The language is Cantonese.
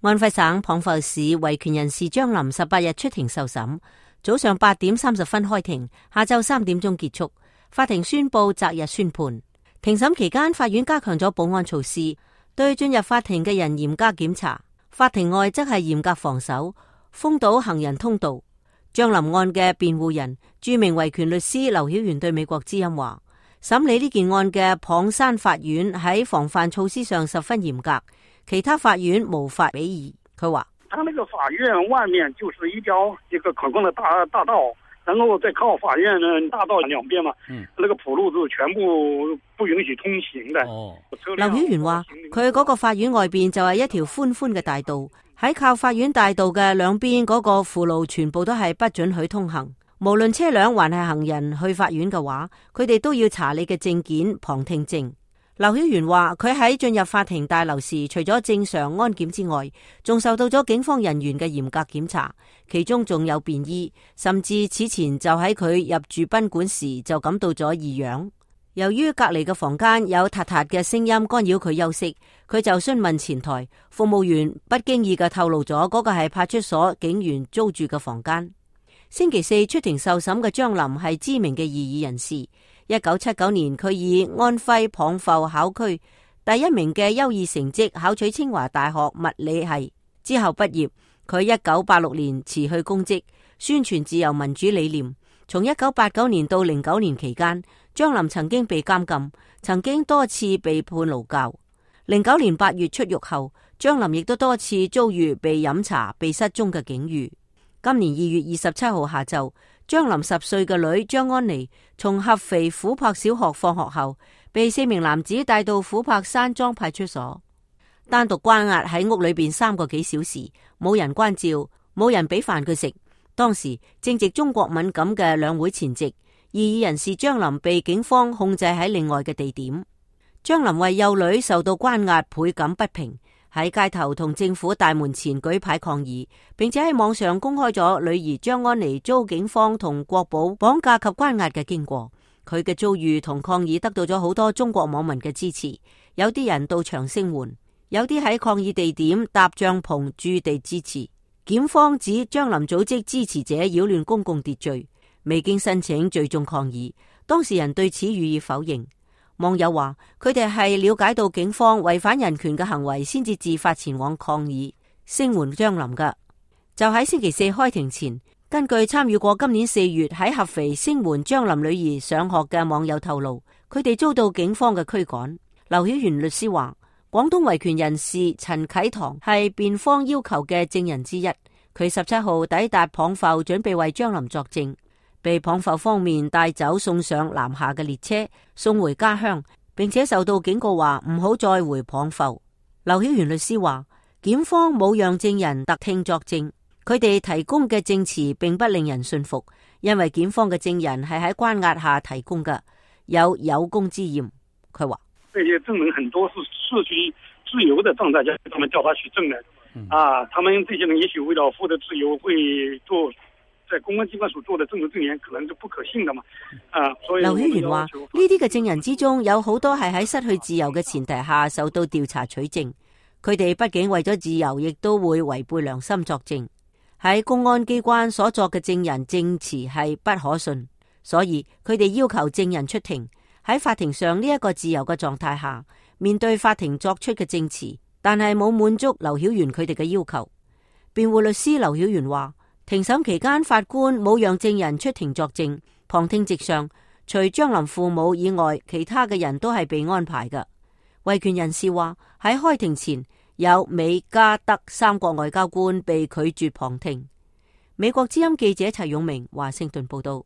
安徽省蚌埠市維權人士張林18日出庭受審，早上8點30分開庭，下晝3點鐘結束。法庭宣布擇日宣判。庭審期間，法院加強咗保安措施，對進入法庭嘅人嚴加檢查。法庭外則係嚴格防守，封堵行人通道。張林案嘅辯護人、著名維權律師劉曉元對美國之音話：審理呢件案嘅蚌山法院喺防範措施上十分嚴格，其他法院無法比擬。佢話：他那個法院外面就是一個可控的大道，然後再靠法院呢大道兩邊嘛，那個鋪路就全部不允許通行的。劉曉元話：佢嗰個法院外邊就係一條寬寬嘅大道，喺靠法院大道嘅兩邊嗰個輔路全部都係不准許通行，無論車輛還係行人去法院嘅話，佢哋都要查你嘅證件、旁聽證。劉曉元話：佢喺進入法庭大樓時，除咗正常安檢之外，仲受到咗警方人員嘅嚴格檢查，其中仲有便衣，甚至此前就喺佢入住賓館時就感到咗異樣。由於隔離嘅房間有嗒嗒嘅聲音干擾佢休息，佢就詢問前台服務員，不經意嘅透露咗嗰個係派出所警員租住嘅房間。星期四出庭受審嘅張林係知名嘅異議人士。1979年，佢以安徽蚌埠考區第1名嘅優異成績考取清華大學物理系，之後畢業。佢1986年辭去公職，宣傳自由民主理念。從1989年到09年期間，張林曾經被監禁，曾經多次被判勞教。09年8月出獄後，張林亦都多次遭遇被飲茶、被失蹤嘅境遇。今年2月27號下晝，張林10歲嘅女張安妮從合肥琥珀小學放學後，被4名男子帶到琥珀山莊派出所，單獨關押喺屋裏邊3個幾小時，冇人關照，冇人俾飯佢食。當時正值中國敏感嘅兩會前夕，異議人士張林被警方控制喺另外嘅地點。張林為幼女受到關押倍感不平，喺街頭同政府大門前舉牌抗議，並且喺網上公開咗女兒張安妮遭警方同國保綁架及關押嘅經過。佢嘅遭遇同抗議得到咗好多中國網民嘅支持，有啲人到場聲援，有啲喺抗議地點搭帳篷駐地支持。檢方指張林組織支持者擾亂公共秩序，未經申請聚眾抗議，當事人對此予以否認。網友話佢哋係了解到警方違反人權嘅行為，先至自發前往抗議聲援張林㗎。就喺星期四開庭前，根據參與過今年4月喺合肥聲援張林女兒上學嘅網友透露，佢哋遭到警方嘅驅趕。劉曉元律師話，廣東維權人士陳啟堂係辯方要求嘅證人之一，佢17號抵達蚌埠，準備為張林作證，被蚌埠方面帶走送上南下嘅列車，送回家鄉，並且受到警告話唔好再回蚌埠。劉曉元律師話，檢方冇讓證人特聽作證，佢哋提供嘅證詞並不令人信服，因為檢方嘅證人係喺關押下提供嘅，有功之嫌。佢話，這些證人很多是失去自由的狀態下，他們叫他取證人他們這些人也許為了獲得自由，會做在公安機關所做的證人證言可能就不可信的嘛。所以劉曉元話，呢啲嘅證人之中有好多係喺失去自由嘅前提下受到調查取證，佢哋畢竟為咗自由，亦都會違背良心作證。喺公安機關所作嘅證人證詞係不可信，所以佢哋要求證人出庭。喺法庭上呢一個自由嘅狀態下，面對法庭作出嘅證詞，但係冇滿足劉曉元佢哋嘅要求。辯護律師劉曉元話，庭審期間法官冇讓證人出庭作證，旁聽席上除張林父母以外，其他嘅人都係被安排嘅。維權人士話，喺開庭前有美加德3國外交官被拒絕旁聽。美國之音記者齊永明華盛頓報道。